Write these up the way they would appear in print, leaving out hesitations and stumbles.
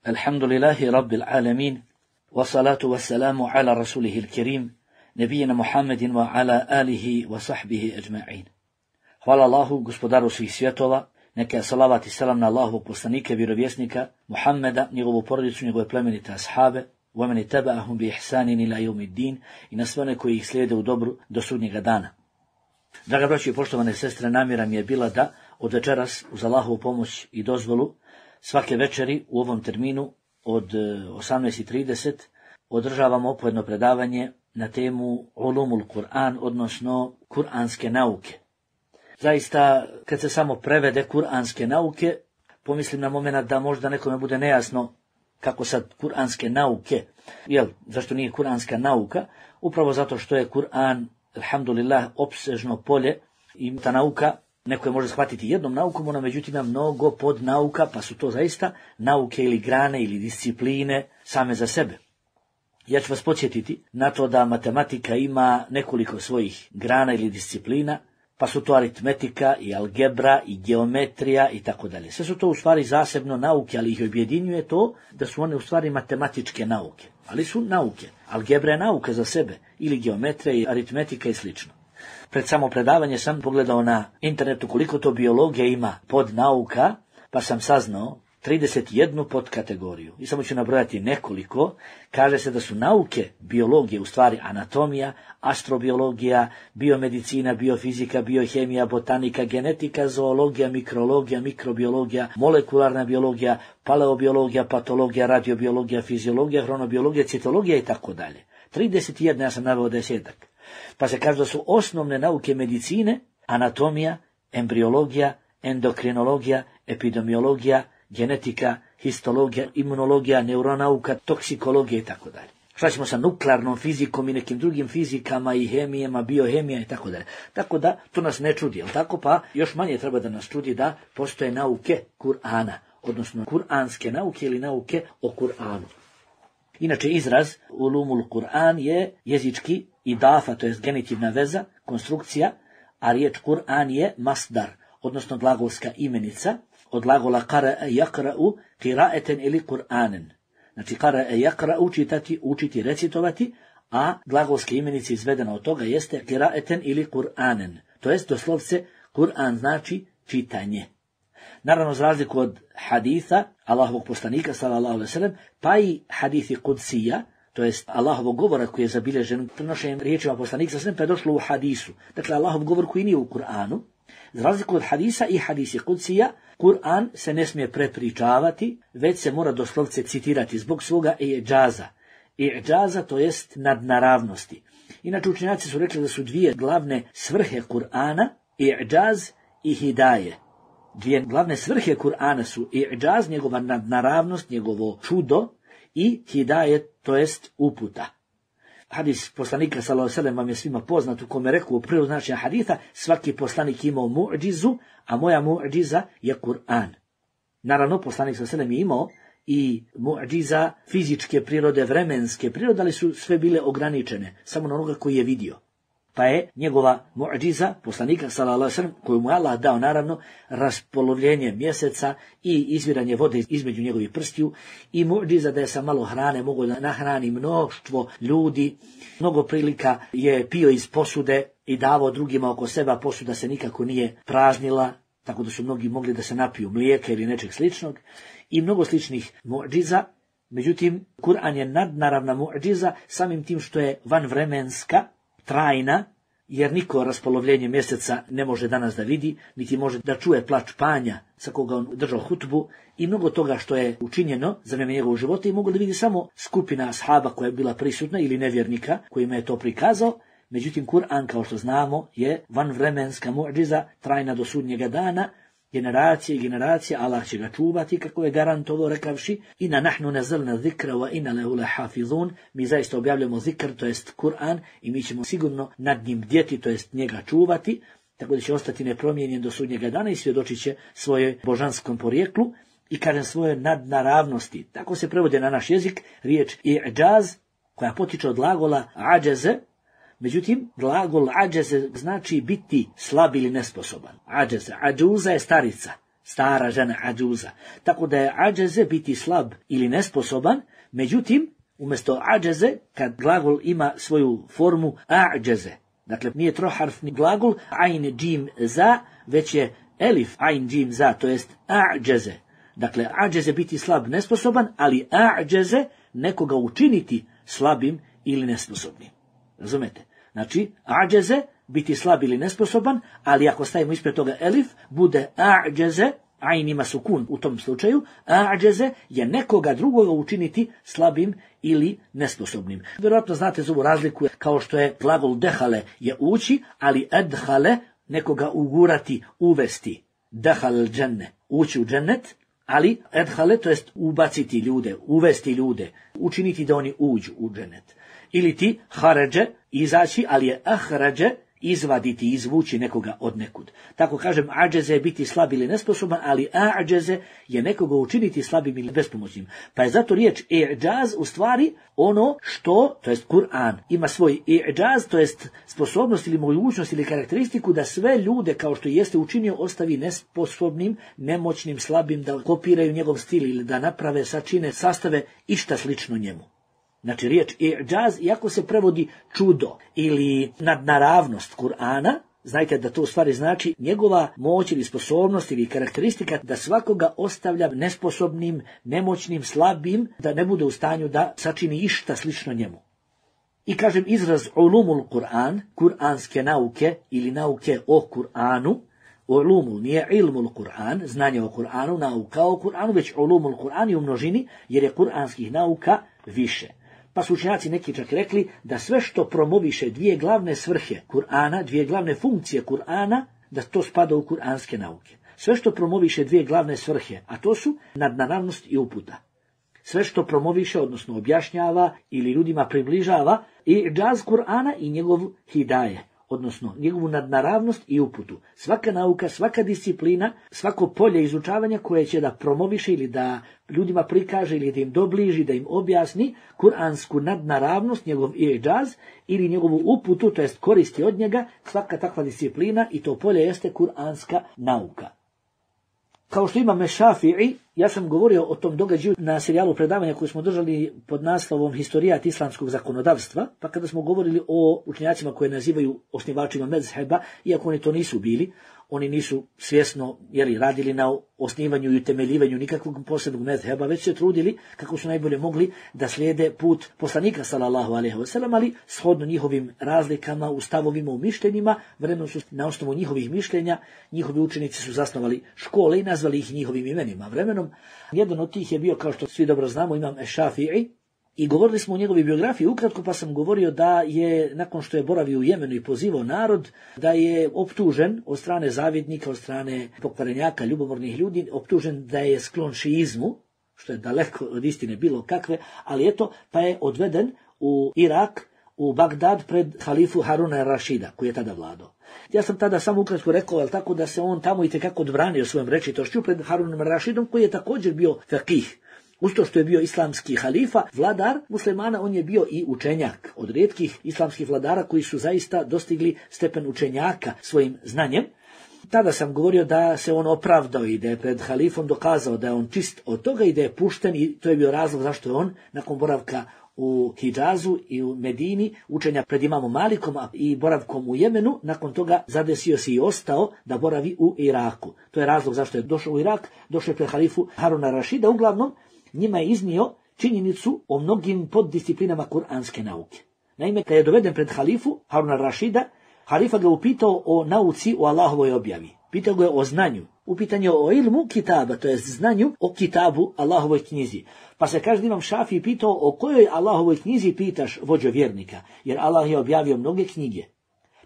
Alhamdulillahi Rabbil Alamin, wa salatu wa salamu ala rasulihil kerim, nebijena Muhammedin wa ala alihi wa sahbihi ajma'in. Hvala Allahu, gospodaru svih svjetova, neka je salavat i selam na Allahovog poslanika, vjerovjesnika, Muhammeda, njegovu porodicu, njegove plemenite ashabe, wa man taba'ahum bi ihsanin ila yawmiddin, i na sve one koji ih slijede u dobru do sudnjega dana. Draga braćo i poštovane sestre, namjera mi je bila da od večeras uz Allahovu pomoć i dozvolu svake večeri u ovom terminu od 18:30 održavamo opojedno predavanje na temu Ulumul Kur'an, odnosno kuranske nauke. Zaista, kad se samo prevede kuranske nauke, pomislim na moment da možda nekome bude nejasno kako sad kuranske nauke, zašto nije kuranska nauka? Upravo zato što je Kur'an, alhamdulillah, opsežno polje i ta nauka, neko je može shvatiti jednom naukom, ona međutim ima mnogo podnauka, pa su to zaista nauke ili grane ili discipline same za sebe. Ja ću vas podsjetiti na to da matematika ima nekoliko svojih grana ili disciplina, pa su to aritmetika i algebra i geometrija i tako dalje. Sve su to u stvari zasebno nauke, ali ih objedinjuje to da su one u stvari matematičke nauke. Ali su nauke. Algebra je nauka za sebe, ili geometrija i aritmetika i slično. Pred samo predavanje sam pogledao na internetu koliko to biologija ima pod nauka, pa sam saznao 31 podkategoriju. I samo ću nabrojati nekoliko. Kaže se da su nauke biologije u stvari anatomija, astrobiologija, biomedicina, biofizika, biohemija, botanika, genetika, zoologija, mikrologija, mikrobiologija, molekularna biologija, paleobiologija, patologija, radiobiologija, fiziologija, hronobiologija, citologija i tako dalje. 31, ja sam naveo 10. Pa se kaže da su osnovne nauke medicine anatomija, embriologija, endokrinologija, epidemiologija, genetika, histologija, imunologija, neuronauka, toksikologija i tako dalje. Šta ćemo sa nuklearnom fizikom i nekim drugim fizikama i hemijama, biohemija i tako dalje. Tako da to nas ne čudi, jel tako? Pa još manje treba da nas čudi da postoje nauke Kur'ana, odnosno kuranske nauke ili nauke o Kur'anu. Inače, izraz Ulumul Kur'an je jezički idafa, to je genitivna veza, konstrukcija, a riječ Kur'an je masdar, odnosno glagolska imenica, od glagola qara'a yaqra'u qira'atan ili Kur'anen. Znači, qara'a yaqra'u čitati, učiti, recitovati, a glagolska imenica izvedena od toga jeste qira'atan ili Kur'anen. To jest, doslovce, Kur'an znači čitanje. Naravno, za razliku od haditha Allahovog poslanika, sallallahu alejhi ve sellem, pa i hadithi kudsija, to jest Allahovog govora koji je zabilježen prenošenjem riječima poslanika, sallallahu alejhi ve sellem, pa je došlo u hadisu. Dakle, Allahov govor koji nije u Kur'anu. Za razliku od hadisa i hadisi kudsija, Kur'an se ne smije prepričavati, već se mora doslovce citirati zbog svoga i'đaza. I'đaza, to jest nadnaravnosti. Inače, učenjaci su rekli da su dvije glavne svrhe Kur'ana, i'đaz i hidaje. Dvije glavne svrhe Kur'ana su i'đaz, njegova nadnaravnost, njegovo čudo, i hidaje, to jest uputa. Hadis poslanika sallallahu alejhi ve sellem vam je svima poznat, u kome rekao u prvom značenju haditha, svaki poslanik imao mu'džizu, a moja mu'džiza je Kur'an. Naravno, poslanik sallallahu alejhi ve sellem je imao i mu'džiza fizičke prirode, vremenske prirode, ali su sve bile ograničene, samo na onoga koji je vidio. Pa je njegova mu'džiza, poslanika sallallahu alejhi ve sellem, koju mu je Allah dao naravno, raspolovljenje mjeseca i izviranje vode između njegovih prstiju, i mu'džiza da je sa malo hrane mogao da nahrani mnoštvo ljudi. Mnogo prilika je pio iz posude i davao drugima oko sebe, a posuda se nikako nije praznila, tako da su mnogi mogli da se napiju mlijeka ili nečeg sličnog, i mnogo sličnih mu'džiza. Međutim, Kur'an je nadnaravna mu'džiza samim tim što je vanvremenska, trajna, jer niko raspolovljenje mjeseca ne može danas da vidi, niti može da čuje plač panja sa koga on držao hutbu, i mnogo toga što je učinjeno za vrijeme njegovog života i mogu da vidi samo skupina ashaba koja je bila prisutna ili nevjernika kojima je to prikazao. Međutim, Kur'an, kao što znamo, je vanvremenska mu'džiza, trajna do sudnjega dana, generacije i generacije, Allah će ga čuvati, kako je garantovao rekavši: Inna nahnu nazzalna zikra wa inna lahu lahafizun. Mi zaista objavljamo zikr, to jest Kur'an, i mi ćemo sigurno nad njim bdjeti, to jest njega čuvati, tako da će ostati nepromijenjen do sudnjega dana i svjedočit će svoje božanskom porijeklu i, kažem, svoje nadnaravnosti. Tako se prevode na naš jezik riječ i'đaz, koja potiče od glagola ađeze. Međutim, glagol ađeze znači biti slab ili nesposoban. Ađeze, ađuza je starica. stara žena, ađuza. Tako da je ađeze biti slab ili nesposoban, međutim, umjesto ađeze, kad glagol ima svoju formu ađeze, dakle nije troharfni glagol, ajn, džim, za, već je elif, ajn, džim, za, to jest ađeze. Dakle, ađeze biti slab, nesposoban, ali ađeze nekoga učiniti slabim ili nesposobnim. Razumete? Znači, ađeze biti slab ili nesposoban, ali ako stavimo ispred toga elif, bude ađeze, ajn ima sukun u tom slučaju, ađeze je nekoga drugoga učiniti slabim ili nesposobnim. Vjerojatno znate za ovu razliku, kao što je glagol dehale je ući, ali edhale nekoga ugurati, uvesti. Dehal dženne, ući u džennet, ali edhale, to jest ubaciti ljude, uvesti ljude, učiniti da oni uđu u džennet. Ili ti haređe, izaći, ali je ahrađe, izvaditi, izvući nekoga od nekud. Tako kažem, ađeze je biti slab ili nesposoban, ali ađeze je nekoga učiniti slabim ili bespomoćnim. Pa je zato riječ i'đaz u stvari ono što, to jest Kur'an, ima svoj i'đaz, to jest sposobnost ili mogućnost ili karakteristiku da sve ljude, kao što jeste učinio, ostavi nesposobnim, nemoćnim, slabim, da kopiraju njegov stil ili da naprave, sačine, sastave išta slično njemu. Znači riječ i'đaz, iako se prevodi čudo ili nadnaravnost Kur'ana, znajte da to u stvari znači njegova moć ili sposobnost ili karakteristika da svakoga ostavlja nesposobnim, nemoćnim, slabim, da ne bude u stanju da sačini išta slično njemu. I kažem izraz ulumul Kur'an, kuranske nauke ili nauke o Kur'anu, ulumul nije ilmul Kur'an, znanje o Kur'anu, nauka o Kur'anu, već ulumul Kur'an je u množini jer je kuranskih nauka više. Pa su učenjaci neki čak rekli da sve što promoviše dvije glavne svrhe Kur'ana, dvije glavne funkcije Kur'ana, da to spada u kuranske nauke. Sve što promoviše dvije glavne svrhe, a to su nadnaravnost i uputa. Sve što promoviše, odnosno objašnjava ili ljudima približava i džaz Kur'ana i njegov hidaje, odnosno njegovu nadnaravnost i uputu. Svaka nauka, svaka disciplina, svako polje izučavanja koje će da promoviše ili da ljudima prikaže ili da im dobliži, da im objasni kuransku nadnaravnost, njegov i'đaz ili njegovu uputu, to jest koristi od njega, svaka takva disciplina i to polje jeste kuranska nauka. Kao što imam Šafi'i, ja sam govorio o tom događaju na serijalu predavanja koju smo držali pod naslovom Historijat islamskog zakonodavstva, pa kada smo govorili o učenjacima koje nazivaju osnivačima mezheba, iako oni to nisu bili, oni nisu svjesno radili na osnivanju i utemeljivanju nikakvog posebnog mezheba, već se trudili kako su najbolje mogli da slijede put poslanika sallallahu alejhi ve sellem, ali shodno njihovim razlikama u stavovima, u mišljenjima, vremenom su na osnovu njihovih mišljenja, njihovi učenici su zasnovali škole i nazvali ih njihovim imenima. Vremenom jedan od tih je bio, kao što svi dobro znamo, imam Šafi'i, i govorili smo o njegovoj biografiji ukratko, pa sam govorio da je, nakon što je boravio u Jemenu i pozivao narod, da je optužen od strane zavjetnika, od strane pokvarenjaka, ljubomornih ljudi, optužen da je sklon šiizmu, što je daleko od istine bilo kakve, ali eto, pa je odveden u Irak, u Bagdad pred halifu Haruna Rašida, koji je tada vladao. Ja sam tada samo ukratko rekao, ali tako da se on tamo itekako odbranio svojom rečitošću pred Harunom Rašidom, koji je također bio fakih. Uz to što je bio islamski halifa, vladar muslimana, on je bio i učenjak. Od rijetkih islamskih vladara koji su zaista dostigli stepen učenjaka svojim znanjem. Tada sam govorio da se on opravdao i da je pred halifom dokazao da je on čist od toga i da je pušten, i to je bio razlog zašto je on nakon boravka u Hidžazu i u Medini, učenja pred imamom Malikom i boravkom u Jemenu, nakon toga zadesio se i ostao da boravi u Iraku. To je razlog zašto je došao u Irak, došao je pred halifu Haruna Rašida. Uglavnom, njima je iznio činjenicu o mnogim poddisciplinama kuranske nauke. Naime, kad je doveden pred halifu Haruna Rašida, halifa ga upitao o nauci, o Allahovoj objavi. Pitao ga je o znanju. Upitan je o ilmu kitaba, to je znanju o kitabu, Allahovoj knjizi. Pa se kaže imam Šafii pitao o kojoj Allahovoj knjizi pitaš, vođo vjernika, jer Allah je objavio mnoge knjige.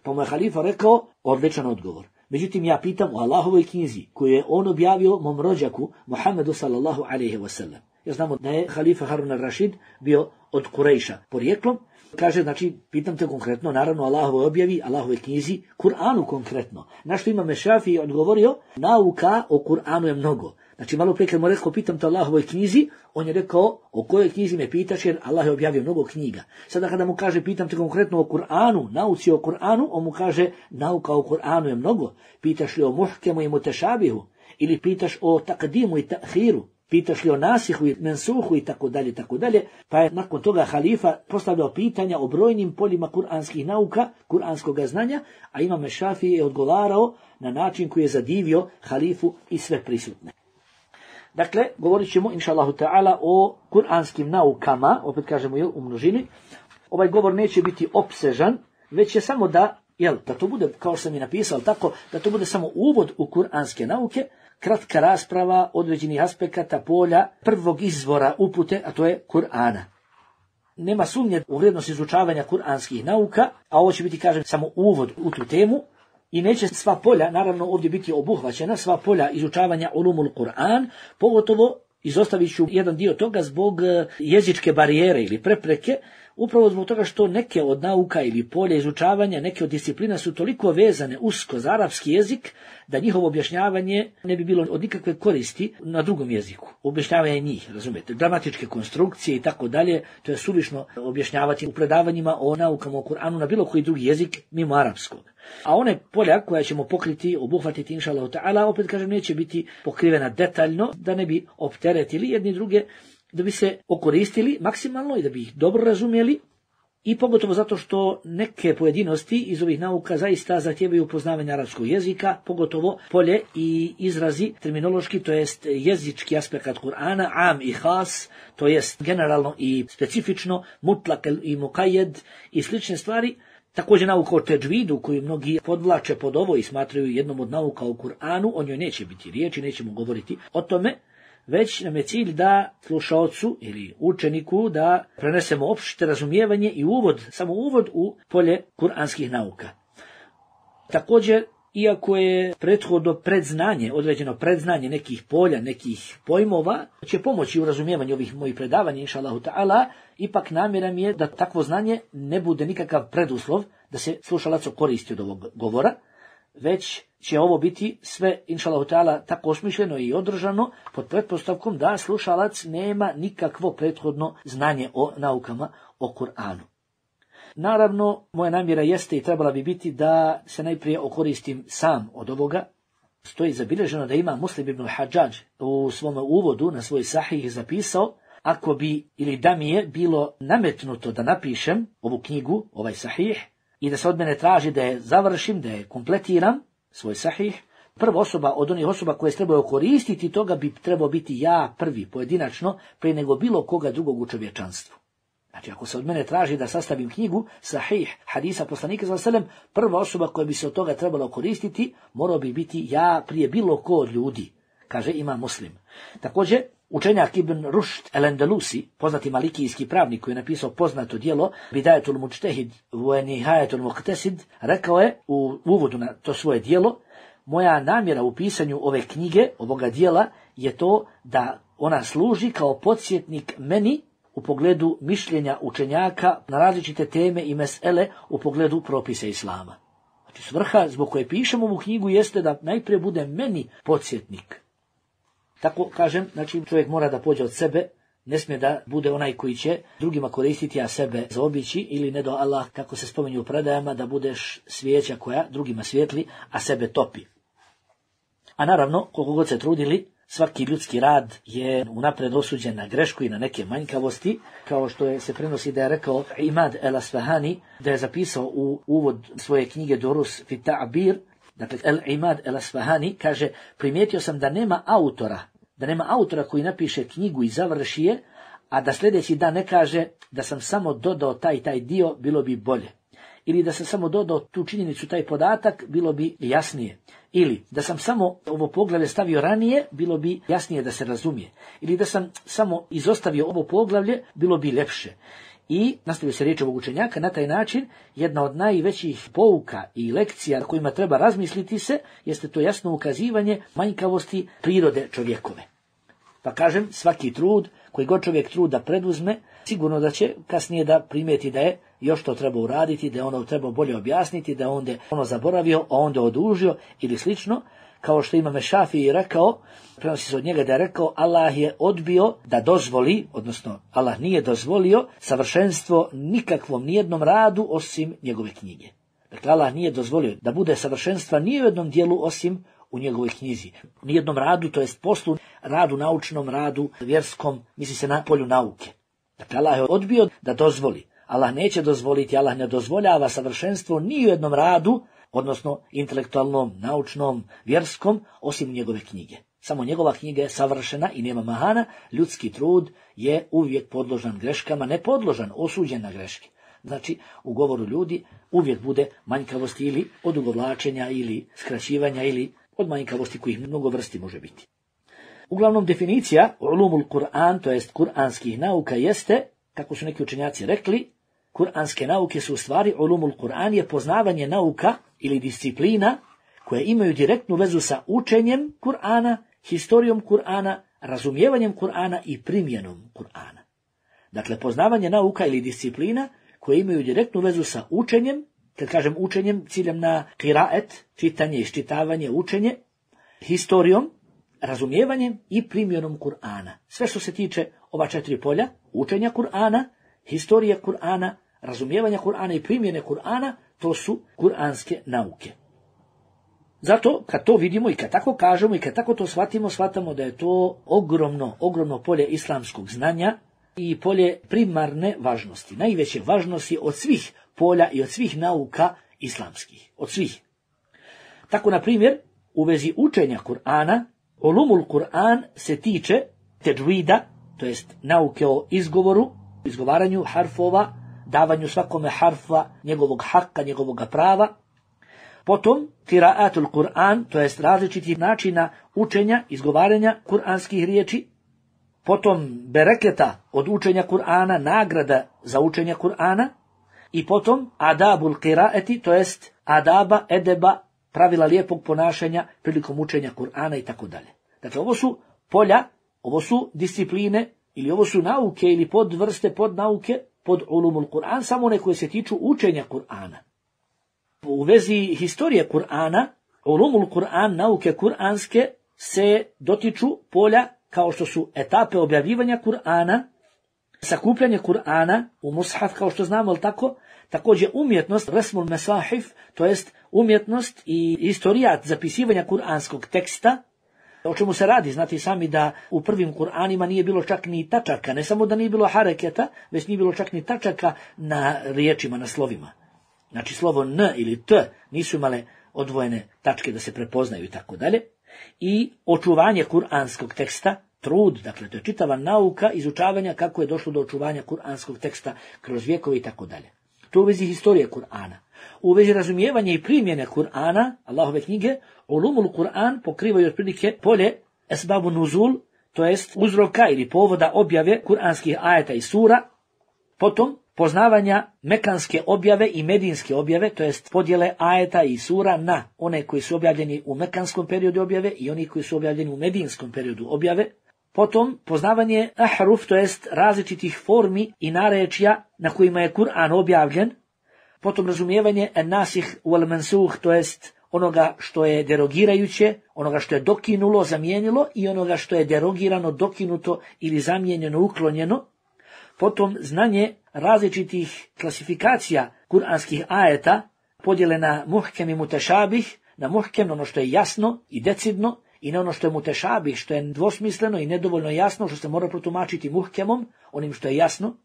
Pa mu je halifa rekao odličan odgovor. Međutim, ja pitam o Allahovoj knjizi koju je on objavio mom rođaku Muhammedu sallallahu alejhi ve sellem. Ja znamo da je halifa Harun al-Rašid bio od Kurejša porijeklom. Kaže, znači, pitam te konkretno, naravno Allahovoj objavi, Allahovoj knjizi, Kur'anu konkretno. Na što imam Šafii odgovorio, nauka o Kur'anu je mnogo. Znači, malo prije kad mu rekao, pitam te Allahovoj knjizi, on je rekao, o kojoj knjizi me pitaš, jer Allah je objavio mnogo knjiga. Sada kada mu kaže, pitam te konkretno o Kur'anu, nauci o Kur'anu, on mu kaže, nauka o Kur'anu je mnogo. Pitaš li o muhkemu i mutešabihu, ili pitaš o takdimu i ta'hiru, pitaš li o nasihu i mensuhu i tako dalje, pa je nakon toga halifa postavljao pitanja o brojnim poljima kuranskih nauka, kuranskog znanja, a Imam Šafii je odgovarao na način koji je zadivio halifu i sve prisutne. Dakle, govorit ćemo, inša Allahu ta'ala, o kuranskim naukama, opet kažemo u množini. Ovaj govor neće biti opsežan, već je samo da to bude, kao što sam i napisao, tako, da to bude samo uvod u kuranske nauke, kratka rasprava određenih aspekata polja prvog izvora upute, a to je Kur'ana. Nema sumnje u vrijednost izučavanja kuranskih nauka, a ovo će biti, kažem, samo uvod u tu temu, i neće sva polja, naravno, ovdje biti obuhvaćena, sva polja izučavanja ulumul Kur'an, pogotovo izostavit ću jedan dio toga zbog jezičke barijere ili prepreke, upravo zbog toga što neke od nauka ili polja izučavanja, neke od disciplina su toliko vezane usko za arapski jezik, da njihovo objašnjavanje ne bi bilo od nikakve koristi na drugom jeziku. Objašnjavanje njih, razumijete, gramatičke konstrukcije i tako dalje, to je suvišno objašnjavati u predavanjima o naukama o Kur'anu na bilo koji drugi jezik mimo arapskog. A one polja koja ćemo pokriti, obuhvatiti, inša Allahu ta'ala, opet kažem, neće biti pokrivena detaljno, da ne bi opteretili jedni druge, da bi se okoristili maksimalno i da bi ih dobro razumjeli, i pogotovo zato što neke pojedinosti iz ovih nauka zaista zahtijevaju poznavanje arapskog jezika, pogotovo polje i izrazi terminološki, to jest jezički aspekt Kur'ana, am i has, to jest generalno i specifično, mutlak i mukajed i slične stvari. Također nauka o tedžvidu, koju mnogi podvlače pod ovo i smatraju jednom od nauka o Kur'anu, o njoj neće biti riječi, nećemo govoriti o tome, već nam je cilj da slušaocu ili učeniku da prenesemo opšte razumijevanje i samo uvod u polje kuranskih nauka. Također, iako je prethodno predznanje, određeno predznanje nekih polja, nekih pojmova, će pomoći u razumijevanju ovih mojih predavanja, inša Allahu ta'ala, ipak namjera mi je da takvo znanje ne bude nikakav preduslov da se slušalac koristi od ovog govora, već će ovo biti sve, inša Allahu ta'ala, tako osmišljeno i održano pod pretpostavkom da slušalac nema nikakvo prethodno znanje o naukama o Kur'anu. Naravno, moja namjera jeste i trebala bi biti da se najprije okoristim sam od ovoga. Stoji zabilježeno da ima Muslim ibn Hadžadž u svom uvodu na svoj sahih zapisao, ako bi ili da mi je bilo nametnuto da napišem ovu knjigu, ovaj sahih, i da se od mene traži da je završim, da je kompletiram, svoj sahih, prva osoba od onih osoba koje se trebaju koristiti toga bi trebao biti ja prvi, pojedinačno, prije nego bilo koga drugog u čovječanstvu. Znači, ako se od mene traži da sastavim knjigu, sahih, hadisa poslanika sallallahu alejhi ve sellem, prva osoba koja bi se od toga trebala koristiti, morao bi biti ja prije bilo ko od ljudi, kaže Imam Muslim. Također, učenjak Ibn Rušd el-Andalusi, poznati malikijski pravnik koji je napisao poznato djelo Bidajetul Mučtehid wa Nihajetul Muqtasid, rekao je u uvodu na to svoje djelo: moja namjera u pisanju ove knjige, ovoga djela, je to da ona služi kao podsjetnik meni u pogledu mišljenja učenjaka na različite teme i mesele u pogledu propisa islama. Znači, svrha zbog koje pišem ovu knjigu jeste da najprije bude meni podsjetnik. Tako kažem, znači čovjek mora da pođe od sebe, ne smije da bude onaj koji će drugima koristiti, a sebe zaobići, ili ne do Allah, kako se spominju u predajama, da budeš svijeća koja drugima svijetli, a sebe topi. A naravno, koliko god se trudili, svaki ljudski rad je unapred osuđen na grešku i na neke manjkavosti, kao što se prenosi da je rekao Imad el-Asfahani, da je zapisao u uvod svoje knjige Durus fi ta'bir, dakle Imad el-Asfahani kaže: primijetio sam da nema autora koji napiše knjigu i završi je, a da sljedeći dan ne kaže da sam samo dodao taj dio, bilo bi bolje. Ili da sam samo dodao tu činjenicu, taj podatak, bilo bi jasnije. Ili da sam samo ovo poglavlje stavio ranije, bilo bi jasnije da se razumije. Ili da sam samo izostavio ovo poglavlje, bilo bi ljepše. I nastavio se riječ ovog učenjaka, na taj način jedna od najvećih pouka i lekcija na kojima treba razmisliti se, jeste to jasno ukazivanje manjkavosti prirode čovjekove. Pa kažem, svaki trud, koji god čovjek truda preduzme, sigurno da će kasnije da primijeti da je još to treba uraditi, da je ono treba bolje objasniti, da je onda ono zaboravio, a onda odužio ili slično, kao što Imam Šafii rekao, prenosi se od njega da je rekao: Allah je odbio da dozvoli, odnosno Allah nije dozvolio savršenstvo nikakvom nijednom radu osim njegove knjige. Dakle, Allah nije dozvolio da bude savršenstva ni u jednom dijelu osim u njegovoj knjizi. U nijednom radu, to jest poslu, radu naučnom, radu vjerskom, misli se na polju nauke. Dakle, Allah je odbio da dozvoli. Allah neće dozvoliti, Allah ne dozvoljava savršenstvo ni u jednom radu, odnosno intelektualnom, naučnom, vjerskom, osim njegove knjige. Samo njegova knjiga je savršena i nema mahana, ljudski trud je uvijek podložan greškama, ne podložan, osuđen na greške. Znači, u govoru ljudi uvijek bude manjkavosti ili odugovlačenja ili skraćivanja ili od manjkavosti kojih mnogo vrsti može biti. Uglavnom, definicija ulumul Kur'an, to jest kuranskih nauka, jeste, kako su neki učenjaci rekli, kuranske nauke su u stvari ulumul Kur'an je poznavanje nauka ili disciplina koje imaju direktnu vezu sa učenjem Kur'ana, historijom Kur'ana, razumijevanjem Kur'ana i primjenom Kur'ana. Dakle, poznavanje nauka ili disciplina koje imaju direktnu vezu sa učenjem, kad kažem učenjem, ciljem na kiraet, čitanje, iščitavanje, učenje, historijom, razumijevanjem i primjenom Kur'ana. Sve što se tiče ova 4 polja, učenja Kur'ana, historije Kur'ana, razumijevanja Kur'ana i primjene Kur'ana, to su kuranske nauke. Zato, kad to vidimo i kad tako kažemo i kad tako to shvatamo da je to ogromno polje islamskog znanja i polje primarne važnosti. Najveće važnosti od svih polja i od svih nauka islamskih. Od svih. Tako, na primjer, u vezi učenja Kur'ana, ulumul Kur'an se tiče tedžvida, to jest nauke o izgovoru, izgovaranju harfova, davanju svakome harfa njegovog haka, njegovog prava. Potom kiraatul Kur'an, to jest različitih načina učenja, izgovaranja kuranskih riječi. Potom bereketa od učenja Kur'ana, nagrada za učenje Kur'ana. I potom adabul kiraeti, to jest adaba, edeba, pravila lijepog ponašanja prilikom učenja Kur'ana i tako dalje. Dakle, ovo su polja, ovo su discipline, ili ovo su nauke ili podvrste, podnauke, pod ulumul Kur'an, samo one koje se tiču učenja Kur'ana. U vezi historije Kur'ana, ulumul Kur'an, nauke kur'anske, se dotiču polja kao što su etape objavljivanja Kur'ana, sakupljanje Kur'ana u mushaf, kao što znamo, ali tako, također umjetnost, resmul mesahif, to jest umjetnost i historijat zapisivanja kur'anskog teksta. O čemu se radi? Znate sami da u prvim Kur'anima nije bilo čak ni tačaka, ne samo da nije bilo hareketa, već nije bilo čak ni tačaka na riječima, na slovima. Znači slovo N ili T nisu imale odvojene tačke da se prepoznaju i tako dalje. I očuvanje kur'anskog teksta, trud, dakle to je čitava nauka izučavanja kako je došlo do očuvanja kur'anskog teksta kroz vjekove i tako dalje. To u vezi historije Kur'ana. U vezi razumijevanja i primjene Kur'ana, Allahove knjige, ulumul Kur'an pokrivaju otprilike polje esbabu nuzul, to jest uzroka ili povoda objave kuranskih ajeta i sura, potom poznavanja mekanske objave i medinske objave, to jest podjele ajeta i sura na one koji su objavljeni u mekanskom periodu objave i oni koji su objavljeni u medinskom periodu objave, potom poznavanje ahruf, to jest različitih formi i narečja na kojima je Kur'an objavljen, potom razumijevanje nasih wal mansuh, to jest onoga što je derogirajuće, onoga što je dokinulo, zamijenilo i onoga što je derogirano, dokinuto ili zamijenjeno, uklonjeno. Potom znanje različitih klasifikacija kuranskih ajeta, podjele na muhkem i mutešabih, na muhkem ono što je jasno i decidno i na ono što je mutešabih, što je dvosmisleno i nedovoljno jasno, što se mora protumačiti muhkemom, onim što je jasno.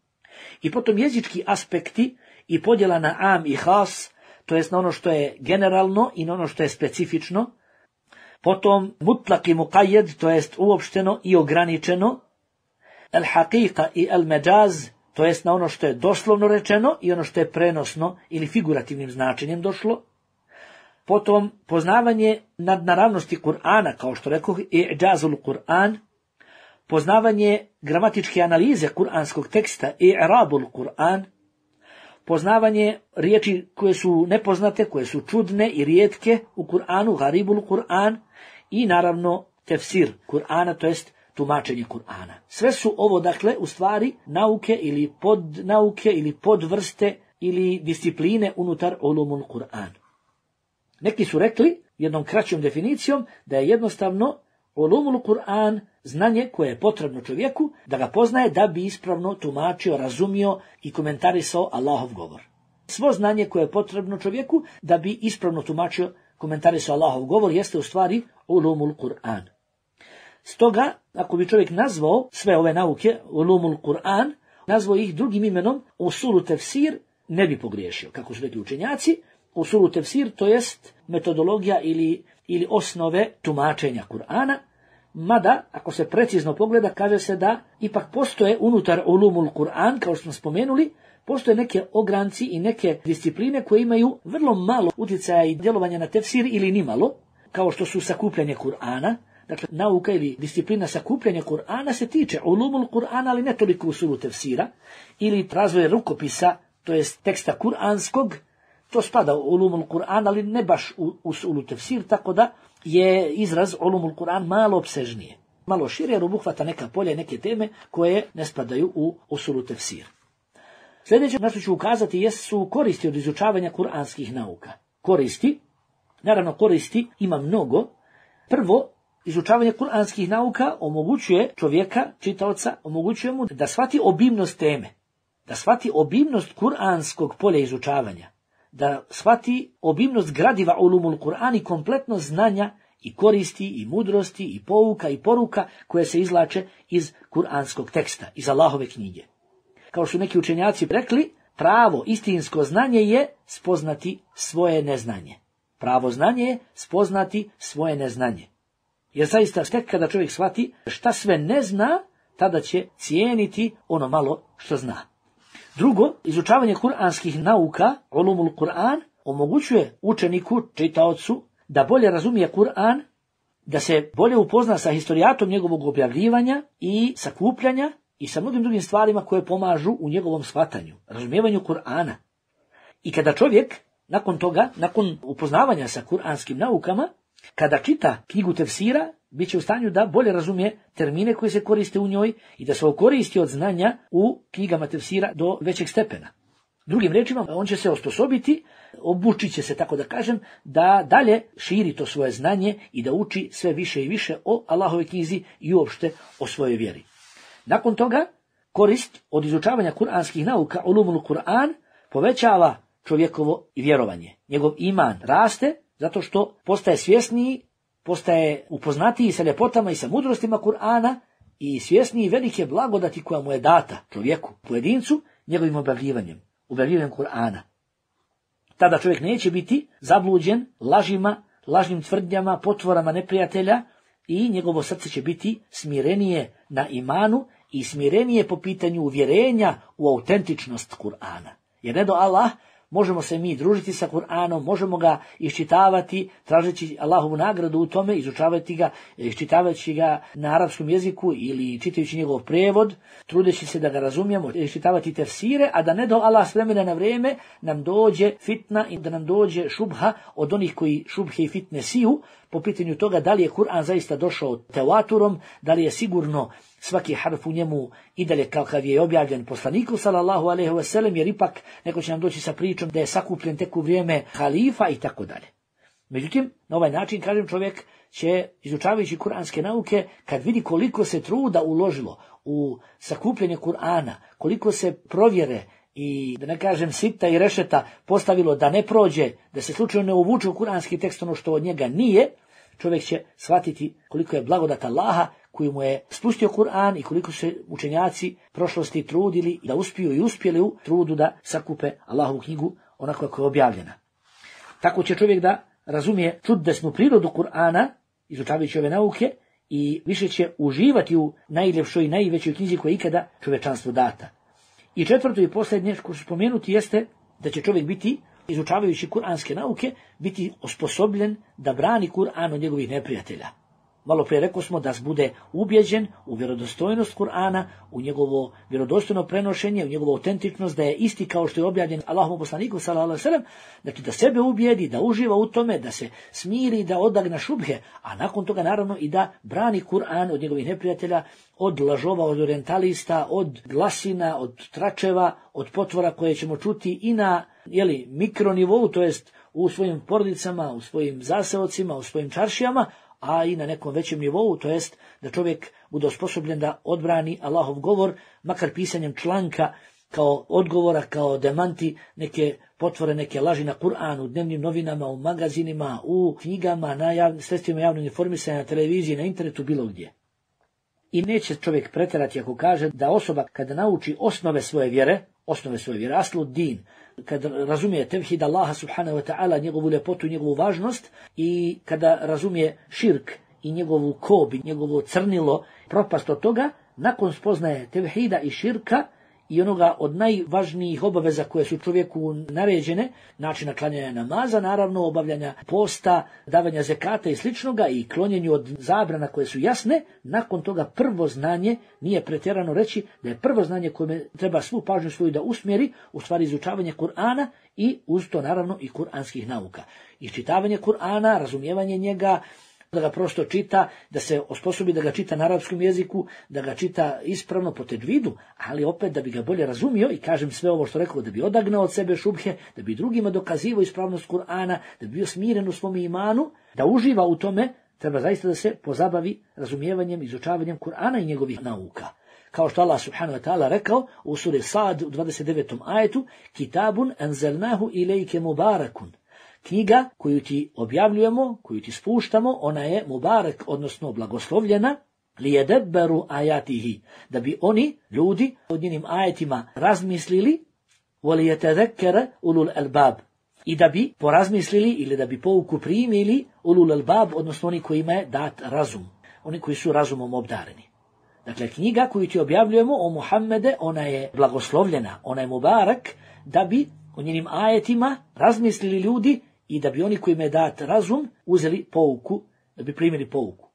I potom jezički aspekti i podjela na am i has, to jest na ono što je generalno i na ono što je specifično. Potom mutlak i muqayyad, to jest uopšteno i ograničeno. El haqiqa i el međaz, to jest na ono što je doslovno rečeno i ono što je prenosno ili figurativnim značenjem došlo. Potom poznavanje nadnaravnosti Kur'ana, kao što rekoh, i'đazul Kur'an, poznavanje gramatičke analize kuranskog teksta, i'rabul Kur'an, poznavanje riječi koje su nepoznate, koje su čudne i rijetke u Kur'anu, garibul Kur'an, i naravno tefsir Kur'ana, to jest tumačenje Kur'ana. Sve su ovo, dakle, u stvari nauke ili podnauke ili podvrste ili discipline unutar ulumul Kur'an. Neki su rekli, jednom kraćom definicijom, da je jednostavno ulumul Kur'an znanje koje je potrebno čovjeku da ga poznaje da bi ispravno tumačio, razumio i komentarisao Allahov govor. Svo znanje koje je potrebno čovjeku da bi ispravno tumačio, komentarisao Allahov govor jeste u stvari ulumul Kur'an. Stoga, ako bi čovjek nazvao sve ove nauke ulumul Kur'an, nazvao ih drugim imenom usulu tefsir, ne bi pogriješio, kako su rekli učenjaci. Usulu tefsir, to jest metodologija ili osnove tumačenja Kur'ana, mada, ako se precizno pogleda, kaže se da ipak postoje unutar ulumul Kur'an, kao što smo spomenuli, postoje neke ogranci i neke discipline koje imaju vrlo malo utjecaja i djelovanja na tefsir ili nimalo, kao što su sakupljanje Kur'ana. Dakle, nauka ili disciplina sakupljanja Kur'ana se tiče ulumul Kur'ana, ali ne toliko usulu tefsira, ili razvoje rukopisa, to jest teksta kur'anskog, to spada u ulumul Kur'an, ali ne baš u usulu tefsir, tako da je izraz ulumul Kur'an malo opsežnije, malo šire, jer obuhvata neka polja i neke teme koje ne spadaju u usulu tefsir. Sljedeće na što ću ukazati jesu koristi od izučavanja kuranskih nauka. Koristi, naravno koristi ima mnogo. Prvo, izučavanje kuranskih nauka omogućuje čovjeka, čitaoca, omogućuje mu da shvati obimnost teme, da shvati obimnost kuranskog polja izučavanja, da shvati obimnost gradiva ulumul Kur'an i kompletno znanja i koristi i mudrosti i pouka i poruka koje se izvlače iz kuranskog teksta, iz Allahove knjige. Kao što neki učenjaci rekli, pravo istinsko znanje je spoznati svoje neznanje. Pravo znanje je spoznati svoje neznanje. Jer zaista tek kada čovjek shvati šta sve ne zna, tada će cijeniti ono malo što zna. Drugo, izučavanje kuranskih nauka, ulumul Kur'an, omogućuje učeniku, čitaocu, da bolje razumije Kur'an, da se bolje upozna sa historijatom njegovog objavljivanja i sakupljanja i sa mnogim drugim stvarima koje pomažu u njegovom shvatanju, razumijevanju Kur'ana. I kada čovjek, nakon toga, nakon upoznavanja sa kuranskim naukama, kada čita knjigu tefsira, bit će u stanju da bolje razumije termine koji se koriste u njoj i da se okoristi od znanja u knjigama tefsira do većeg stepena. Drugim riječima, on će se osposobiti, obučit će se, tako da kažem, da dalje širi to svoje znanje i da uči sve više i više o Allahove knjizi i uopšte o svojoj vjeri. Nakon toga, korist od izučavanja kuranskih nauka, ulumul Kur'an, povećava čovjekovo vjerovanje. Njegov iman raste zato što postaje svjesniji, postaje upoznatiji sa ljepotama i sa mudrostima Kur'ana i svjesniji velike blagodati koja mu je data čovjeku, pojedincu, njegovim objavljivanjem Kur'ana. Tada čovjek neće biti zabluđen lažima, lažnim tvrdnjama, potvorama neprijatelja i njegovo srce će biti smirenije na imanu i smirenije po pitanju uvjerenja u autentičnost Kur'ana. Jer ne do Allah, možemo se mi družiti sa Kur'anom, možemo ga iščitavati, tražeći Allahovu nagradu u tome, izučavati ga, iščitavajući ga na arapskom jeziku ili čitajući njegov prijevod, trudeći se da ga razumijemo, iščitavati tefsire, a da ne do Allah s vremena na vrijeme nam dođe fitna i da nam dođe šubha od onih koji šubhe i fitne siju, po pitanju toga da li je Kur'an zaista došao tevaturom, da li je sigurno svaki harf u njemu i dalje kakav je objavljen poslaniku sallallahu alejhi ve sellem, jer ipak neko će nam doći sa pričom da je sakupljen tek u vrijeme halifa i tako dalje. Međutim, na ovaj način, kažem, čovjek će, izučavajući kuranske nauke, kad vidi koliko se truda uložilo u sakupljanje Kur'ana, koliko se provjere i, da ne kažem, sita i rešeta postavilo da ne prođe, da se slučajno ne uvuče u kuranski tekst ono što od njega nije, čovjek će shvatiti koliko je blagodat Allaha koji mu je spustio Kur'an i koliko se učenjaci prošlosti trudili da uspiju i uspjeli u trudu da sakupe Allahovu knjigu onako kako je objavljena. Tako će čovjek da razumije čudesnu prirodu Kur'ana, izučavajući ove nauke, i više će uživati u najljepšoj i najvećoj knjizi koja je ikada čovječanstvu data. I četvrto i posljednje što ću spomenuti jeste da će čovjek biti, izučavajući kuranske nauke, biti osposobljen da brani Kur'an od njegovih neprijatelja. Malo prije rekao smo da bude ubjeđen u vjerodostojnost Kur'ana, u njegovo vjerodostojno prenošenje, u njegovu autentičnost, da je isti kao što je objavljen Allahovom poslaniku sallallahu alejhi ve sellem, znači da sebe ubijedi, da uživa u tome, da se smiri, da odagna šubhe, a nakon toga naravno i da brani Kur'an od njegovih neprijatelja, od lažova, od orientalista, od glasina, od tračeva, od potvora koje ćemo čuti i na mikronivou, to jest u svojim porodicama, u svojim zaseocima, u svojim čaršijama, a i na nekom većem nivou, to jest da čovjek bude osposobljen da odbrani Allahov govor, makar pisanjem članka kao odgovora, kao demanti, neke potvore, neke laži na Kur'an, u dnevnim novinama, u magazinima, u knjigama, na sredstvima javnog informisanja, na televiziji, na internetu, bilo gdje. I neće čovjek pretjerati ako kaže da osoba kada nauči osnove svoje vjere, aslu din, kada razumije tevhid Allaha subhanahu wa ta'ala, njegovu ljepotu i njegovu važnost, i kada razumije širk i njegovu kob i njegovo crnilo, propast od toga, nakon spoznaje tevhida i širka i onoga od najvažnijih obaveza koje su čovjeku naređene, načina klanjanja namaza, naravno obavljanja posta, davanja zekata i sličnoga i klonjenju od zabrana koje su jasne, nakon toga prvo znanje, nije pretjerano reći da je prvo znanje koje treba svu pažnju svoju da usmjeri, u stvari izučavanje Kur'ana i uz to naravno i kuranskih nauka. I čitavanje Kur'ana, razumijevanje njega, da ga prosto čita, da se osposobi da ga čita na arapskom jeziku, da ga čita ispravno po tedvidu, ali opet da bi ga bolje razumio, i kažem sve ovo što rekao, da bi odagnao od sebe šubhe, da bi drugima dokazivao ispravnost Kur'ana, da bi bio smiren u svom imanu, da uživa u tome, treba zaista da se pozabavi razumijevanjem, izučavanjem Kur'ana i njegovih nauka. Kao što Allah subhanahu wa ta'ala rekao u suri Sad u 29. ajetu, Kitabun anzalnahu ilejke mubarakun. Knjiga koju ti objavljujemo, koju ti spuštamo, ona je mubarak, odnosno blagoslovljena, lijedebberu ajatihi, da bi oni, ljudi, od njenim ajetima razmislili, volijetedekere ulul albab, i da bi porazmislili ili da bi pouku primili ulul albab, odnosno oni kojima je dat razum, oni koji su razumom obdareni. Dakle, knjiga koju ti objavljujemo o Muhammede, ona je blagoslovljena, ona je mubarak, da bi o njenim ajetima razmislili ljudi i da bi oni kojima je dat razum uzeli pouku, da bi primili pouku.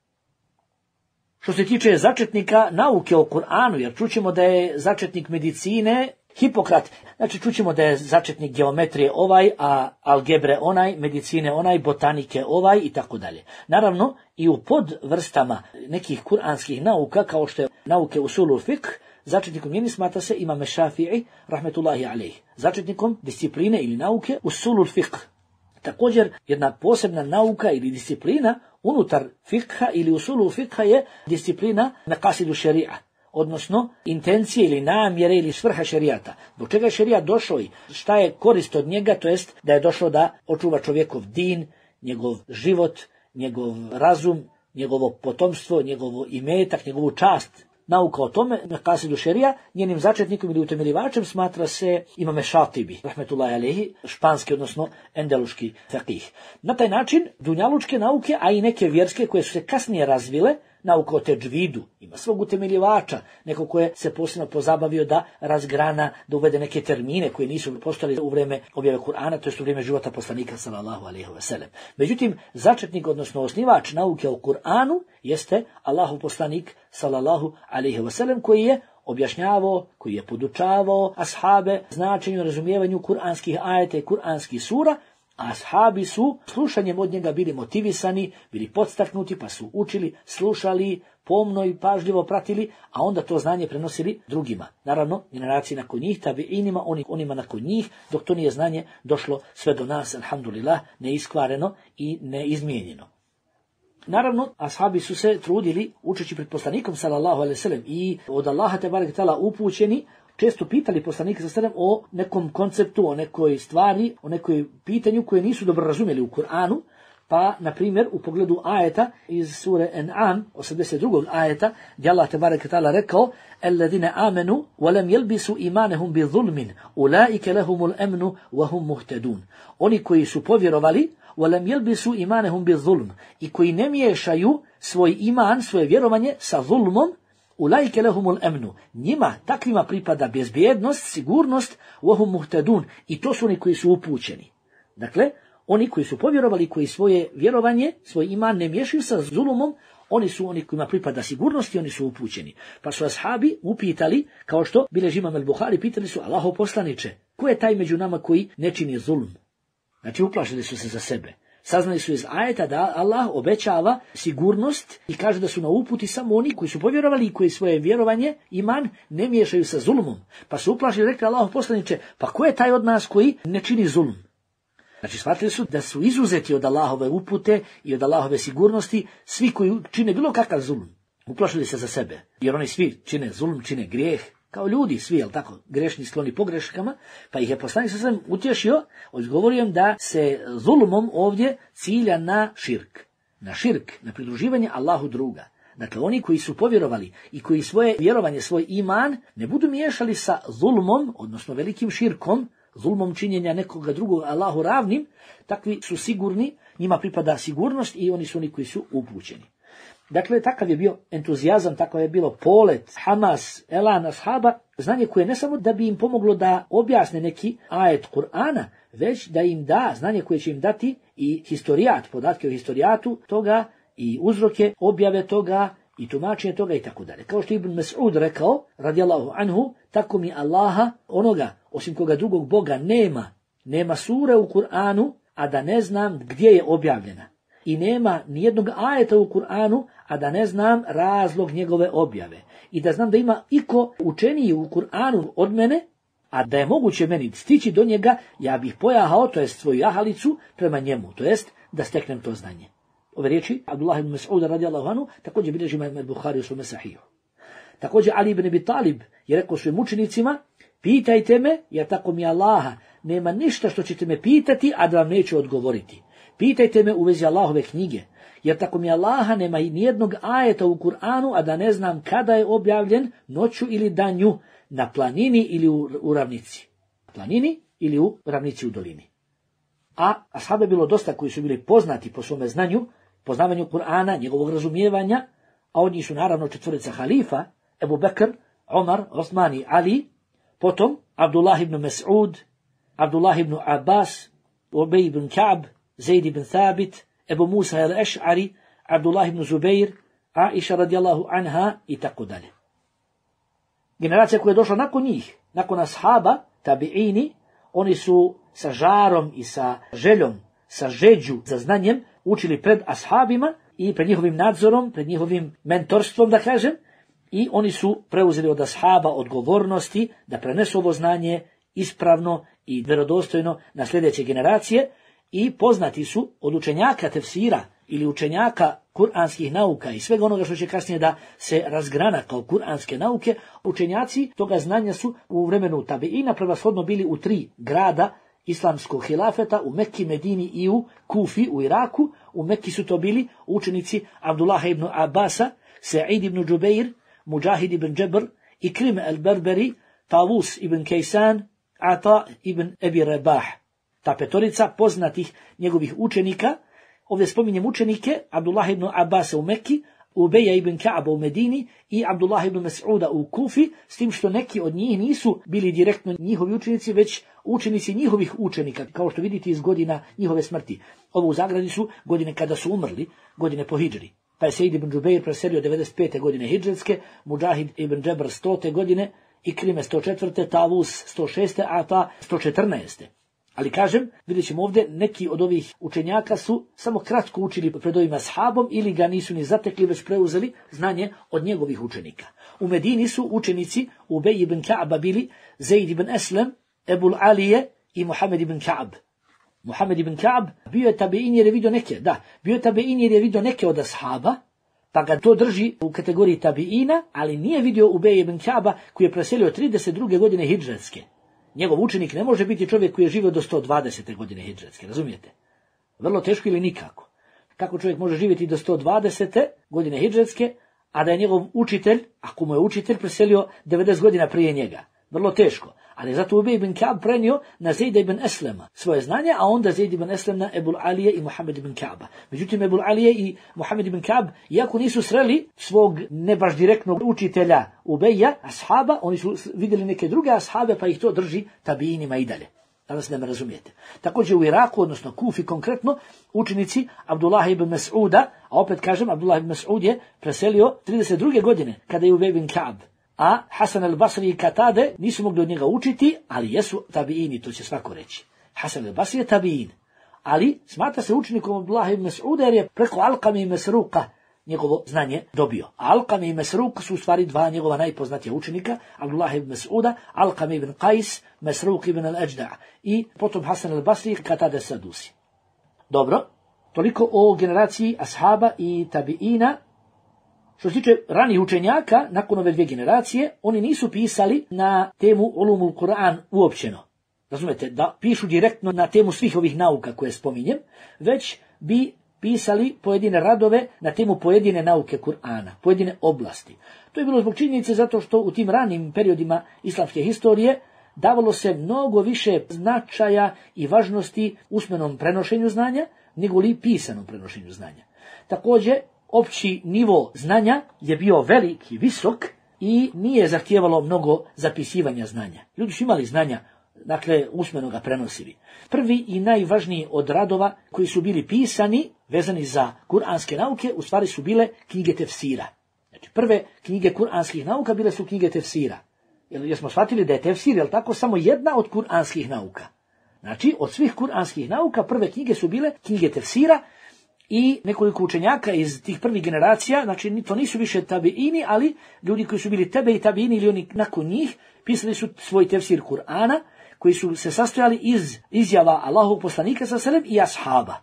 Što se tiče začetnika nauke o Kur'anu, jer čućemo da je začetnik medicine Hipokrat, znači čućemo da je začetnik geometrije ovaj, a algebre onaj, medicine onaj, botanike ovaj i tako dalje. Naravno, i u podvrstama nekih kuranskih nauka, kao što je nauke usulul fiqh, začetnikom njeni smatra se Imam Šafi'i, rahmetullahi alejh. Začetnikom discipline ili nauke usulul fiqh. Također, jedna posebna nauka ili disciplina unutar fikha ili usulul fikha je disciplina maqasidu šeria, odnosno intencije ili namjere ili svrha šerijata. Do čega je šerijat došao i šta je korist od njega, to jest da je došao da očuva čovjekov din, njegov život, njegov razum, njegovo potomstvo, njegovo imetak, njegovu čast. Nauka o tome, maqasidu šerija, njenim začetnikom ili utemeljivačem smatra se Imam Šatibi, rahmetullahi alejhi, španski, odnosno endeluški faqih. Na taj način, dunjalučke nauke, a i neke vjerske koje su se kasnije razvile, nauka o tedžvidu, ima svog utemeljivača, neko koje se posebno pozabavio da razgrana, da uvede neke termine koji nisu postojali u vrijeme objave Kur'ana, to je u vrijeme života poslanika sallallahu alejhi ve sellem. Međutim, začetnik, odnosno osnivač nauke o Kur'anu jeste Allahov poslanik sallallahu alejhi ve sellem, koji je objašnjavao, koji je podučavao ashabe značenju i razumijevanju kuranskih ajeta i kuranskih sura, a ashabi su slušanjem od njega bili motivisani, bili podstaknuti, pa su učili, slušali, pomno i pažljivo pratili, a onda to znanje prenosili drugima. Naravno, generaciji nakon njih, tabiinima, onima nakon njih, dok to nije znanje došlo sve do nas, alhamdulillah, neiskvareno i neizmijenjeno. Naravno, ashabi su se trudili, učeći pred poslanikom sallallahu alejhi ve sellem i od Allaha tebarek ve taala upućeni, često pitali poslanika sallallahu alejhi ve sellem o nekom konceptu, o nekoj stvari, o nekoj pitanju koje nisu dobro razumjeli u Kur'anu, pa, na primjer, u pogledu ajeta iz sure An'am, 82. ajeta, gdje Allah tebarek ve taala rekao: "Alladine amenu wa lam yalbisu imanahum bi zulmin, ulaika lahumul amnu wa hum muhtadun." Oni koji su povjerovali, وَلَمْ يَلْبِسُوا إِمَانَهُمْ بِالظُّلْمِ, i koji ne miješaju svoj iman, svoje vjerovanje sa zulmom, أُولَٰئِكَ لَهُمُ الْأَمْنُ, njima, takvima pripada bezbjednost, sigurnost, وَهُمْ مُهْتَدُونَ, i to su oni koji su upućeni. Dakle, oni koji su povjerovali, koji svoje vjerovanje, svoj iman ne miješaju sa zulmom, oni su oni kojima pripada sigurnost i oni su upućeni. Pa su ashabi upitali, kao što bilježi Imam al-Buhari, pitali su: Allahov poslaniče, ko je taj među nama koji ne čini zulm? Znači, uplašili su se za sebe. Saznali su iz ajeta da Allah obećava sigurnost i kaže da su na uputi samo oni koji su povjerovali i koji svoje vjerovanje, iman, ne miješaju sa zulmom. Pa su uplašili i rekli: Allahov poslaniče, pa ko je taj od nas koji ne čini zulm? Znači, shvatili su da su izuzeti od Allahove upute i od Allahove sigurnosti svi koji čine bilo kakav zulm. Uplašili se za sebe, jer oni svi čine zulm, čine grijeh, kao ljudi svi, jel tako, grešni, skloni pogreškama, pa ih je poslanik sallallahu alejhi ve sellem utješio, odgovorio im da se zulumom ovdje cilja na širk, na pridruživanje Allahu druga. Dakle, oni koji su povjerovali i koji svoje vjerovanje, svoj iman ne budu miješali sa zulmom, odnosno velikim širkom, zulmom činjenja nekoga drugog Allahu ravnim, takvi su sigurni, njima pripada sigurnost i oni su oni koji su upućeni. Dakle, takav je bio entuzijazam, takav je bilo polet, hamas, elan ashaba, znanje koje ne samo da bi im pomoglo da objasne neki ajet Kur'ana, već da im da znanje koje će im dati i historijat, podatke o historijatu toga i uzroke objave toga i tumačenje toga i tako dalje. Kao što je Ibn Mas'ud rekao, radijallahu anhu, tako mi Allaha, onoga osim koga drugog Boga nema sure u Kur'anu, a da ne znam gdje je objavljena. I nema nijednog ajeta u Kur'anu, a da ne znam razlog njegove objave. I da znam da ima iko učeniji u Kur'anu od mene, a da je moguće meni stići do njega, ja bih pojahao, to jest svoju jahalicu, prema njemu, to jest da steknem to znanje. Ove riječi Abdullah ibn Mas'uda radijallahu anhu također bilježi imam Buhari u svome sahihu. Također Ali ibn Abi Talib je rekao svojim učenicima, pitajte me, jer tako mi Allaha, nema ništa što ćete me pitati, a da vam neću odgovoriti. Pitajte me u vezi Allahove knjige, jer tako mi Allaha nema i nijednog ajeta u Kur'anu, a da ne znam kada je objavljen, noću ili danju, na planini ili u ravnici. Planini ili u ravnici u dolini. A ashaba je bilo dosta koji su bili poznati po svome znanju, poznavanju Kur'ana, njegovog razumijevanja, a od njih su naravno četvorica halifa, Ebu Bekr, Omar, Osman i Ali, potom Abdullah ibn Mas'ud, Abdullah ibn Abbas, Ubej ibn Ka'b, Zaid ibn Thabit, Ebu Musa al-Eš'ari, Abdullah ibn Zubair, Aisha radijallahu anha i tako dalje. Generacija koja je došla nakon njih, nakon ashaba, tabi'ini, oni su sa žarom i sa željom, sa žeđu za znanjem učili pred ashabima i pred njihovim nadzorom, pred njihovim mentorstvom, da kažem, i oni su preuzeli od ashaba odgovornosti da prenesu ovo znanje ispravno i vjerodostojno na sljedeće generacije i poznati su od učenjaka tefsira ili učenjaka kuranskih nauka i svega onoga što će kasnije da se razgrana kao kuranske nauke, učenjaci toga znanja su u vremenu tabeina prevashodno bili u 3 grada islamskog hilafeta, u Mekki, Medini i u Kufi, u Iraku. U Mekki su to bili učenici Abdullah ibn Abbasa, Sa'id ibn Džubeir, Mujahid ibn Džebr, Ikrim al-Berberi, Tavus ibn Kejsan, Ata ibn Ebi Rebah. Ta petorica poznatih njegovih učenika, ovdje spominjem učenike Abdullah ibn Abbasa u Mekki, Ubeja ibn Ka'aba u Medini i Abdullah ibn Mas'uda u Kufi, s tim što neki od njih nisu bili direktno njihovi učenici, već učenici njihovih učenika, kao što vidite iz godina njihove smrti. Ovo u zagradi su godine kada su umrli, godine po hidžri. Pa je Sejid ibn Džubeir preselio 95. godine hidžretske, Mujahid ibn Džebr 100. godine, Ikrime 104. Tavus 106. Ata 114. Ali kažem, vidjet ćemo ovdje, neki od ovih učenjaka su samo kratko učili pred ovim ashabom ili ga nisu ni zatekli, već preuzeli znanje od njegovih učenika. U Medini su učenici Ubej ibn Ka'ba bili Zaid ibn Eslem, Ebul Alije i Muhammed ibn Ka'b. Muhammed ibn Ka'b bio je tabein jer je vidio neke od ashaba, pa ga to drži u kategoriji tabeina, ali nije vidio Ubej ibn Ka'ba koji je preselio 32. godine hidžretske. Njegov učenik ne može biti čovjek koji je živio do 120. godine hidžretske, razumijete? Vrlo teško ili nikako. Kako čovjek može živjeti do 120. godine hidžretske, a da je njegov učitelj, ako mu je učitelj, preselio 90 godina prije njega? Vrlo teško. Ali zato Ubej ibn Ka'b prenio na Zaida ibn Eslema svoje znanje, a onda Zaid ibn Eslem na Ebul Alije i Muhammed ibn Ka'ba. Međutim, Ebul Alije i Muhammed ibn Ka'b, iako nisu sreli svog ne baš direktnog učitelja Ubeja, ashaba, oni su vidjeli neke druge ashabe, pa ih to drži tabiinima i dalje. Danas ne me razumijete. Također u Iraku, odnosno Kufi konkretno, učenici Abdullah ibn Mas'uda, a opet kažem, Abdullah ibn Mas'ud je preselio 32. godine, kada je Ubej ibn Ka'b. A Hasan al-Basri i Katade nisu mogli od njega učiti, ali jesu tabiini, to će svako reći. Hasan al-Basri je tabiin, ali smatra se učenikom Abdullah ibn Mas'uda jer je preko Alqame i Mesruka njegovo znanje dobio. Alqame i Mesruk su u stvari 2 njegova najpoznatija učenika, Abdullah ibn Mas'uda, Alqame ibn Qais, Mesruk ibn al-Ajda' i potom Hasan al-Basri i Katade Sadusi. Dobro, toliko o generaciji ashaba i tabiina. Što se tiče ranijih učenjaka, nakon ove 2 generacije, oni nisu pisali na temu ulumul Kur'an uopćeno. Razumete, da pišu direktno na temu svih ovih nauka koje spominjem, već bi pisali pojedine radove na temu pojedine nauke Kur'ana, pojedine oblasti. To je bilo zbog činjenice zato što u tim ranim periodima islamske historije davalo se mnogo više značaja i važnosti usmenom prenošenju znanja, nego li pisanom prenošenju znanja. Također, opći nivo znanja je bio velik i visok i nije zahtijevalo mnogo zapisivanja znanja. Ljudi su imali znanja, dakle, usmeno ga prenosili. Prvi i najvažniji od radova koji su bili pisani, vezani za kuranske nauke, u stvari su bile knjige tefsira. Znači, prve knjige kuranskih nauka bile su knjige tefsira. Jer smo shvatili da je tefsir, jel tako, samo jedna od kuranskih nauka. Znači, od svih kuranskih nauka prve knjige su bile knjige tefsira i nekoliko učenjaka iz tih prvih generacija, znači to nisu više tabiini, ali ljudi koji su bili tebe i tabiini ili oni nakon njih, pisali su svoj tefsir Kur'ana, koji su se sastojali iz izjava Allahovog poslanika sallallahu alejhi ve sellem i ashaba.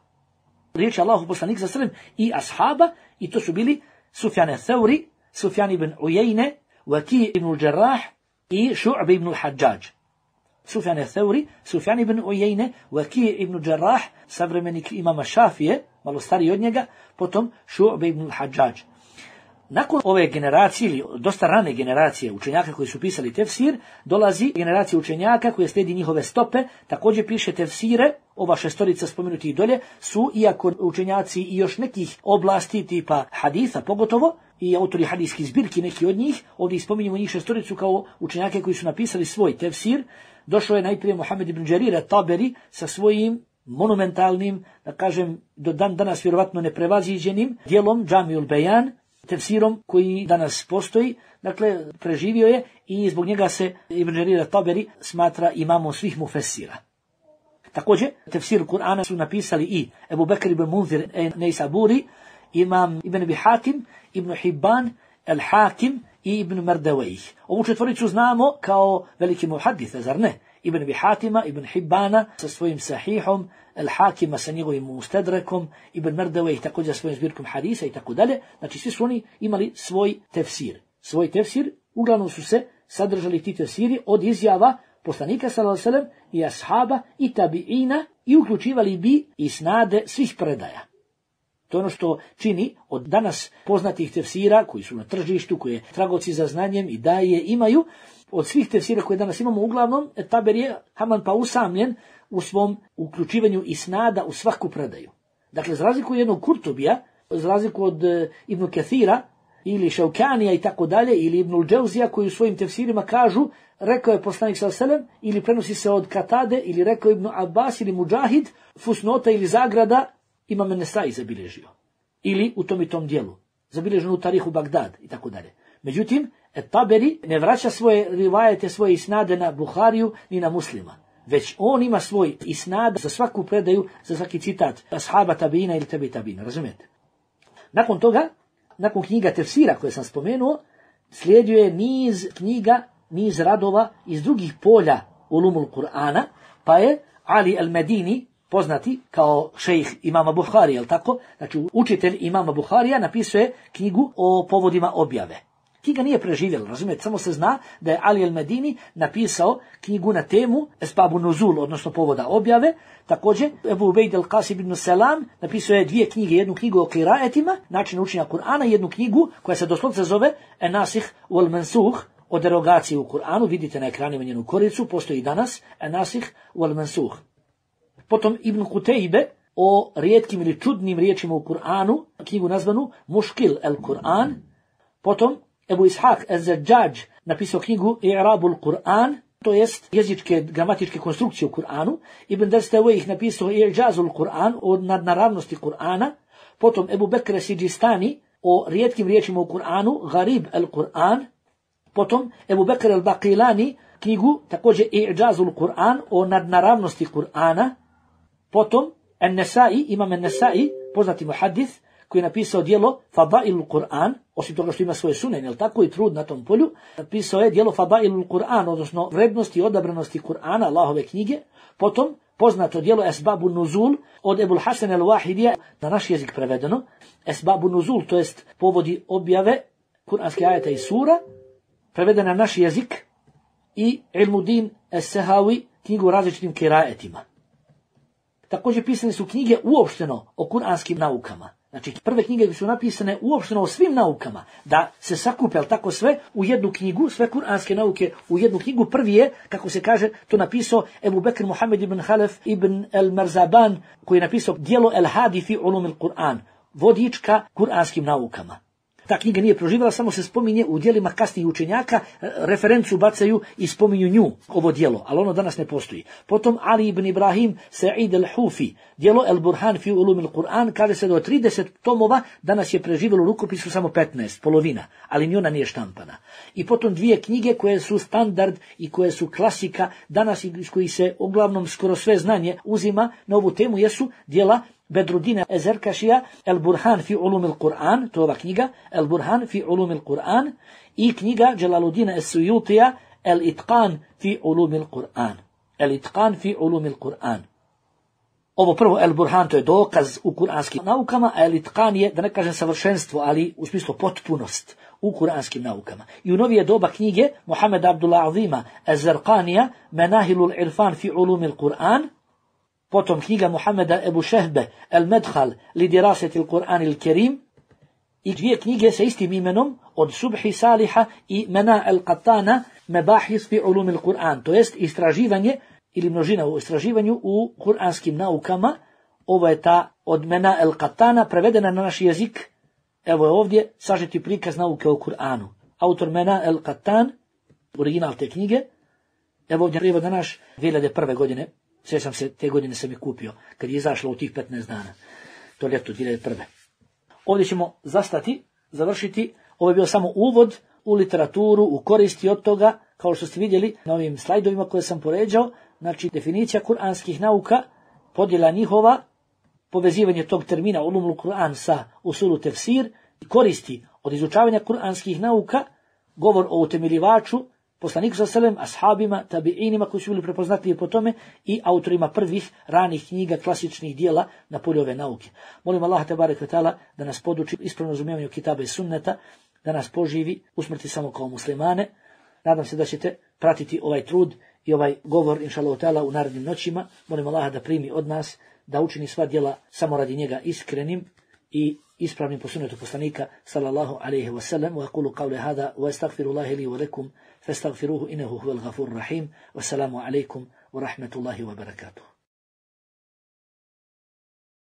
Riječ Allahovog poslanika sallallahu alejhi ve sellem i ashaba, i to su bili Sufjan al-Thawri, Sufjan ibn Uyayne, Waki ibn al-Jarrah i Šu'b ibn al-Hajjaj. Sufjan al-Thawri, Sufjan ibn Uyayne, Waki ibn al-Jarrah, savremenik imama Šafije, malo stariji od njega, potom Šu'b ibn al-Hajjaj. Nakon ove generacije, ili dosta rane generacije učenjaka koji su pisali tefsir, dolazi generacija učenjaka koja slijedi njihove stope, također piše tefsire. Ova šestorica spomenutih dolje su, iako učenjaci i još nekih oblasti tipa haditha pogotovo, i autori hadijskih zbirki, neki od njih, ovdje spominjemo njih šestoricu kao učenjake koji su napisali svoj tefsir. Došao je najprije Muhammed ibn Đarir at-Taberi sa svojim monumentalnim, da kažem, do dan danas vjerovatno neprevaziđenim djelom Džamiul Bejan, tefsirom koji danas postoji, dakle preživio je i zbog njega se Ibn Đarir at-Taberi smatra imamom svih mufessira. Također, tefsir Kur'ana su napisali i Ebu Bekr ibn Munzir Neysaburi, imam Ibn Abi Hatim, Ibn Hibban, Al-Hakim i Ibn Mardawayh. Ovu četvoricu znamo kao veliki muhaditha, zar ne? Ibn Abi Hatima, Ibn Hibbana sa svojim sahihom, Al-Hakima sa njegovim mustadrekom, Ibn Mardawayh također svojim zbirkom hadisa i tako dalje. Znači svi su oni imali svoj tefsir. Svoj tefsir, uglavnom su se sadržali ti tefsiri od izjava poslanika sallallahu alejhi ve sellem i ashaba i tabiina i uključivali bi isnade svih predaja. To je ono što čini od danas poznatih tefsira koji su na tržištu, koje tragovci za znanjem i daje imaju, od svih tefsira koje danas imamo, uglavnom Taberi je haman pa usamljen u svom uključivanju isnada u svaku predaju. Dakle, za razliku jednog Kurtubija, za razliku od Ibn Kathira ili Šaukanija i tako dalje, ili Ibnul Džauzija koji u svojim tefsirima kažu rekao je poslanik sallallahu alejhi ve sellem, ili prenosi se od Katade, ili rekao Ibn Abbas ili Mudžahid, fusnota ili zagrada Imam Nesai zabilježio. Ili u tom i tom dijelu. Zabilježeno u Tarihu Bagdad i tako dalje. Međutim, Taberi ne vraća svoje rivajete, svoje isnade na Buhariju ni na Muslima. Već on ima svoj isnad za svaku predaju, za svaki citat ashaba tabiina ili tebi tabiina, razumijete? Nakon toga, nakon knjiga tefsira koje sam spomenuo, slijedio je niz knjiga, niz radova iz drugih polja ulumul Kur'ana, pa je Ali al-Medini, poznati kao šejh imama Buharija, jel tako? Znači, učitelj imama Buharija napisuje knjigu o povodima objave. Knjiga nije preživjela, razumijete, samo se zna da je Ali al-Medini napisao knjigu na temu Esbabu Nuzul, odnosno povoda objave. Također, Ebu Ubejd al-Qasim ibn Salam napisao je 2 knjige, jednu knjigu o kiraetima, način učenja Kur'ana, i jednu knjigu koja se doslovce zove En-Nasih wal-Mansuh, o derogaciji u Kur'anu. Vidite na ekranima njenu koricu, postoji danas En-Nasih wal-Mansuh. Potom Ibn Kutejbe o rijetkim ili čudnim riječima u Kur'anu, knjigu nazvanu Muškil el-Kur'an. Potom Ebu Ishaq el-Zajjaj napisao knjigu I'rabul Kur'an, to jest jezičke, gramatičke konstrukcije u Kur'anu. Ibn Dastawayh napisao I'jazul Kur'an, o nadnaravnosti Kur'ana. Potom Ebu Bekr Sidžistani o rijetkim riječima u Kur'anu, Gharib el-Kur'an. Potom Ebu Bekr el-Baqilani knjigu također I'jazul Kur'an, o nadnaravnosti Kur'ana. Potom An-Nesai, imam An-Nesai, poznati muhaddith, koji je napisao djelo Fadailul Kur'an, osim toga što ima svoje sunen, jel tako, i trud na tom polju, napisao je djelo Fadailul Kur'an, odnosno vrednosti i odabranosti Kur'ana, Allahove knjige. Potom poznato djelo Esbabu Nuzul od Ebul Hasan el-Wahidija, na naš jezik prevedeno. Esbabu Nuzul, to jest povodi objave kuranskih ajeta i sura, prevedena na naš jezik, i Ilmuddin es-Sehawi, knjigu o različitim kirajetima. Također pisane su knjige uopšteno o kuranskim naukama. Znači, prve knjige su napisane uopšteno o svim naukama, da se sakupe, tako sve u jednu knjigu, sve kuranske nauke u jednu knjigu. Prvi je, kako se kaže, to napisao Ebu Bekr Muhammed ibn Halef ibn el-Marzaban, koji je napisao djelo El-Hadi fi ulum il-Kur'an, vodička kuranskim naukama. Ta knjiga nije proživjela, samo se spominje u djelima kasnijih učenjaka, referencu bacaju i spominju nju, ovo djelo, ali ono danas ne postoji. Potom Ali ibn Ibrahim Sa'id al-Hufi, djelo El-Burhan fi ulum il-Kur'an, kaže se do 30 tomova, danas je preživjelo u rukopisu samo 15, polovina, ali ni ona nije štampana. I potom dvije knjige koje su standard i koje su klasika, danas iz kojih se uglavnom skoro sve znanje uzima na ovu temu, jesu djela Bedruddina Ezerkašija, El-Burhan fi ulum il-Kur'an, to je ova knjiga, El-Burhan fi ulum il-Kur'an, i knjiga Jalaluddina Es-Suyutija, El-Itqan fi ulum il-Kur'an. El-Itqan fi ulum il-Kur'an. Ovo prvo El-Burhan, to je dokaz u kuranskim naukama, a El-Itqan je, da ne kažem savršenstvo, ali u smislu potpunost u kuranskim naukama. I u novije doba knjige Muhammed Abdullah Azima Ez-Zarqanija, Menahilul Irfan fi ulum il-Kur'an, potom knjiga Muhammeda Ebu Šehbe El-Medhal li diraseti il-Kur'an il-Kerim, i dvije knjige sa istim imenom od Subhi Saliha i Mena el-Qattana Mebahis fi ulum il-Kur'an, to jest istraživanje ili množina u istraživanju u kuranskim naukama. Ovo je ta od Mena el-Qattana, prevedena na naš jezik. Evo je ovdje sažeti prikaz nauke o Kur'anu. Autor Mena el-Qattan, original te knjige. Evo ovdje prijevod na naš 2001. godine. Sjećam se, te godine sam je kupio, kad je izašlo u tih 15 dana. To ljeto 2001. Ovdje ćemo zastati, završiti. Ovo je bio samo uvod u literaturu, u koristi od toga, kao što ste vidjeli na ovim slajdovima koje sam poređao. Znači, definicija kuranskih nauka, podjela njihova, povezivanje tog termina ulumul Kur'an sa usulu tefsir, koristi od izučavanja kuranskih nauka, govor o utemeljivaču, poslaniku s.a.v., ashabima, tabiinima koji su bili prepoznatljivi po tome i autorima prvih ranih knjiga, klasičnih dijela na polju ove nauke. Molim Allaha tebareke ve taala da nas poduči ispravno razumijevanju kitaba i sunneta, da nas poživi u smrti samo kao muslimane. Nadam se da ćete pratiti ovaj trud i ovaj govor, inšallahu ta'ala, u narednim noćima. Molim Allaha da primi od nas, da učini sva djela samo radi njega iskrenim i ispravnim po sunnetu poslanika sallallahu alejhi ve sellem. Wa aqulu qawli hada wa astaghfirullaha li wa lakum fastaghfiruhu innahu huwal ghafurur rahim. Wassalamu alaikum wa rahmatullahi wa barakatuh.